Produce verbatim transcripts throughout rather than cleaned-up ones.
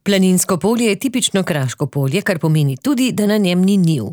Planinsko polje je tipično kraško polje, kar pomeni tudi, da na njem ni njiv.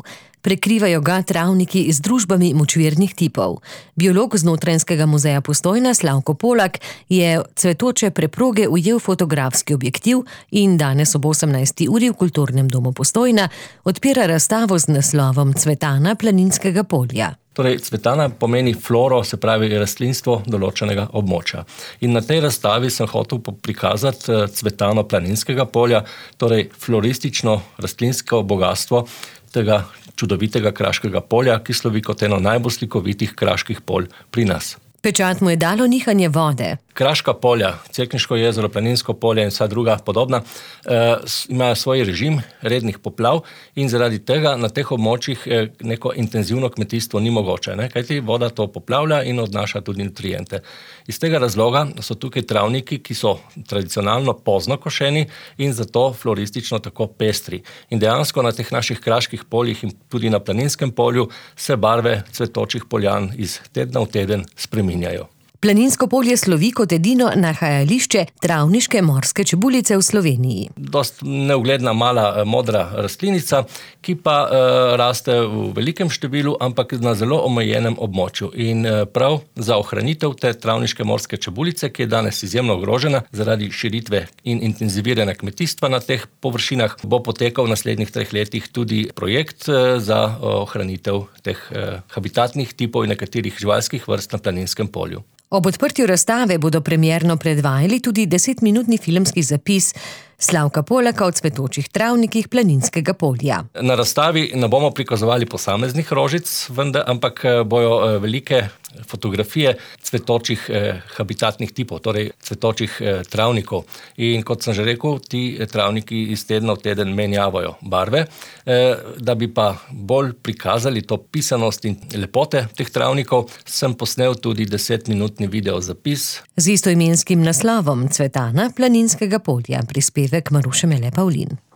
Prekrivajo ga travniki z družbami močvirnih tipov. Biolog z Notranjskega muzeja Postojna Slavko Polak je cvetoče preproge ujel fotografski objektiv in danes ob osemnajsti uri v Kulturnem domu Postojna odpira razstavo z naslovom Cvetana planinskega polja. Torej, cvetana pomeni floro, se pravi rastlinstvo določenega območja. In na tej razstavi sem hotel prikazati cvetano planinskega polja, torej floristično rastlinsko bogatstvo tega čudovitega kraškega polja, ki slovi kot eno najbolj slikovitih kraških polj pri nas. Pečat mu je dalo nihanje vode. Kraška polja, Cerkniško jezero, Planinsko polje in vsa druga podobna, eh, imajo svoj režim rednih poplav in zaradi tega na teh območjih eh, neko intenzivno kmetijstvo ni mogoče, ne? Kajti voda to poplavlja in odnaša tudi nutriente. Iz tega razloga so tukaj travniki, ki so tradicionalno pozno košeni in zato floristično tako pestri. In dejansko na teh naših kraških poljih in tudi na Planinskem polju se barve cvetočih poljan iz tedna v teden spreminjajo. Planinsko polje slovi kot edino nahajališče travniške morske čebulice v Sloveniji. Dost neugledna mala modra rastlinica, ki pa uh, raste v velikem številu, ampak na zelo omejenem območju. In uh, prav za ohranitev te travniške morske čebulice, ki je danes izjemno ogrožena zaradi širitve in intenziviranja kmetijstva na teh površinah, bo potekal v naslednjih treh letih tudi projekt uh, za ohranitev teh uh, habitatnih tipov in nekaterih živalskih vrst na Planinskem polju. Ob odprtju razstave bodo premierno predvajali tudi desetminutni filmski zapis Slavka Polaka o cvetočih travnikih Planinskega polja. Na razstavi ne bomo prikazovali posameznih rožic, vendar, ampak bojo velike fotografije cvetočih eh, habitatnih tipov, torej cvetočih eh, travnikov. In kot sem že rekel, ti travniki iz tedna v teden menjavajo barve, eh, da bi pa bolj prikazali to pisanost in lepote teh travnikov, sem posnel tudi desetminutni video zapis. Z istoimenskim naslovom Cvetana Planinskega polja, prispevek Maruše Mele Pavlin.